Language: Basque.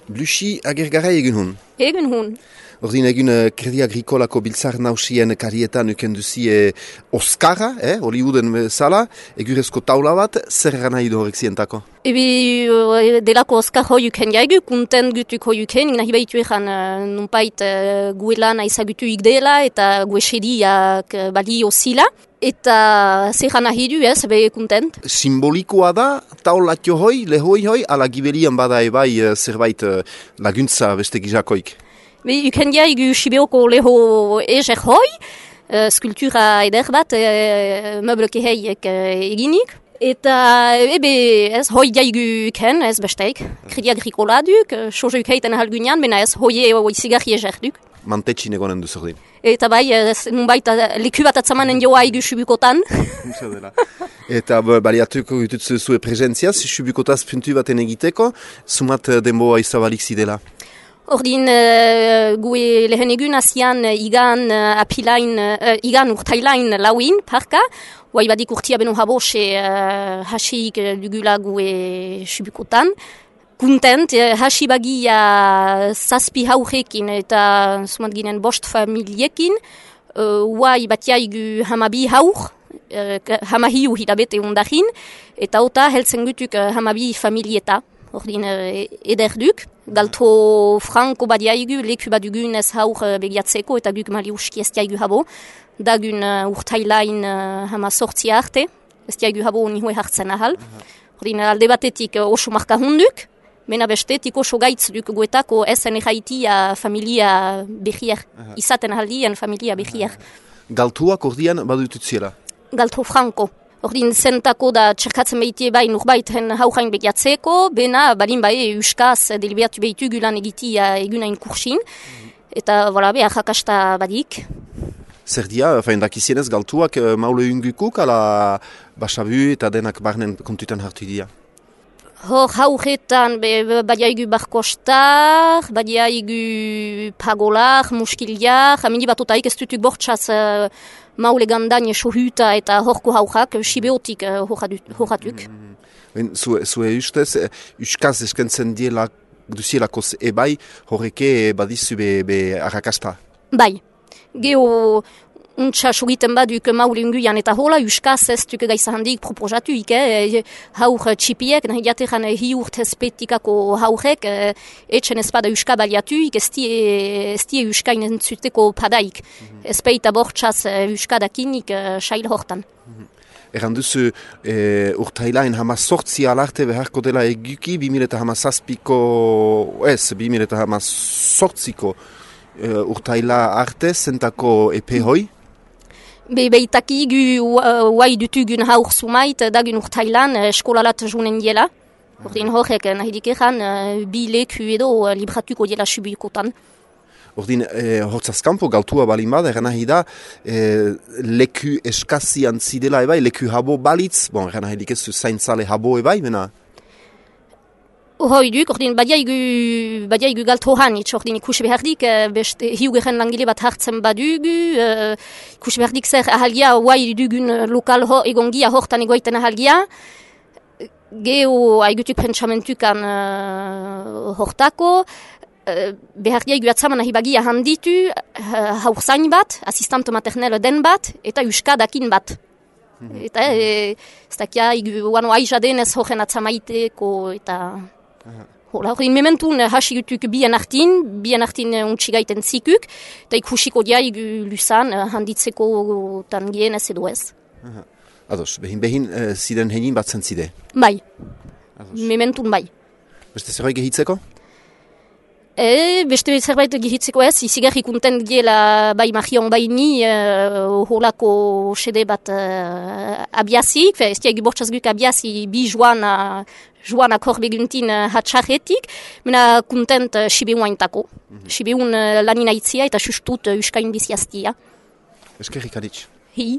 Blusi agergarai egin hun. Egin hun. Ordin egin Kredi Agrikolako biltzar nausien karietan ukenduzie Oskarra, Hollywoodен bezala, egurezko taula bat, zer gana idu horrek zientako? Ebi delako Oskar hoiuken jaigu, kunten gutuk hoiuken, nahi baitu egan nunpait guelan aizagutu igdela eta guesediak balio zila. Eta zer gana hidu be kuntent. Simbolikoa da, taulatio hoi, lehoi hoi, ala gibelian bada ebai zerbait laguntza beste gizakoik. Uken jaigu Sibeoko leho ezer hoi, skulptura eder bat, meubleke heiek eginik. Eta ez hoi jaigu ken, ez besteik, Kredi Agrikola duk, soja ukeiten ahalgunean, bena ez hoie zigarri ezer duk. Mantetxin egonen duzordin. Eta bai, nunbait leku bat atzamanen joa igu Sibukotan. Eta baliatuko ditutzu zue presentziaz, Sibukotaz puntu baten egiteko, sumat denboa izabalik zidela. Ordin gue lehen egun azian igan urtailain lauin parka, guai badik urtia beno habose hasik dugula gue Sibukotan. Kuntent, hasi bagia zazpi haurekin eta sumat ginen bost familiekin, guai batiaigu hamabi haur, hamahiu hilabete ondarin, eta ota heltzen gutuk hamabi familieta. Ordin ederduk, galto franko badiaigu, leku badugun ez haur begiatzeko eta guk mali uski ez diaigu habo. Dagun urtailain hama sortzi arte, ez diaigu habo nihue hartzen ahal. Ordin alde batetik oso marka hunduk, mena bestetik oso gaitz duk guetako ezen erraitia familia behier, izaten ahaldien familia behier. Galtuak ordian badututziela? Galto franko. Ordin zentako da txerkatzen behitie bai nurbaiten haujain begiatzeko, bena balin bai euskaz deliberatu behitu gulan egitia egunain kursin, eta behar jakasta badik. Zer dia, dakizienez galtuak maule ungukuk, ala basabu eta denak barnen kontutan hartu dia? Hor hauretan badiaigu barkostar, badiaigu pagolar, muskiliar, amini bat otaik ez dutuk bortxaz maule gandan sohuta eta horko haujak, sibeotik horatuk. Zue ustez, uskaz eskentzen duzielakoz ebai, horreke badizu be arrakasta? Bai, geho untsa sogiten baduk maule unguian eta hola, uskaz ez duk gaiza handik proposatuik, haur txipiek, nahi jatean hiurt espetikako haurek, etxen ezpada uska baliatuik, ez die uskain entzuteko padaik. Ezpeita bortxaz uskadakinik sail hortan. Eran duzu urtailain hamazortzi alarte beharko dela eguki, 2018ko urtaila arte zentako epe hoi? Beitaki gu guai dutugun haur sumait dagun urtailan eskolalat junen diela. Ordin horrek nahi dikeran bi leku edo libratuko diela Sibukotan. Ordin hortzazkampo galtua balin bada, eran nahi da leku eskazian zidela ebai, leku habo balitz, eran nahi dikezu zaintzale habo ebai, bena? Hoi duk, ordin badiaigu galto hanitz, ordin ikus behardik, beste hiugeren langile bat hartzen badugu, ikus behardik zer ahalgia, guai dugun lokal egongia hortan egoiten ahalgia, geho aigutuk pentsamentukan hortako, behardiaigu atzaman ahibagia handitu, haur zain bat, asistant maternel den bat, eta uskadakin bat. Eta ez dakia, guano aizaden ez horren atzamaiteko, eta... Hola, hori mementun hasigutuk bien artin untxigaiten zikuk, eta ikusiko diaigu lusan handitzeko tangien ez edo ez. Ados, behin ziren henin bat zentzide? Bai, mementun bai. Beste zerbait gehitzeko? Beste zerbait gehitzeko ez, izigarri kontent giela bai magion bai ni holako sede bat abiazik, ez diaigu bortxazguk abiazi bi joan akor beguntin hatxarretik, mena kontent Sibeoaintako. Sibeun lanina itzia eta sustut uskain biziaztia. Eskerrik aditz. Hi.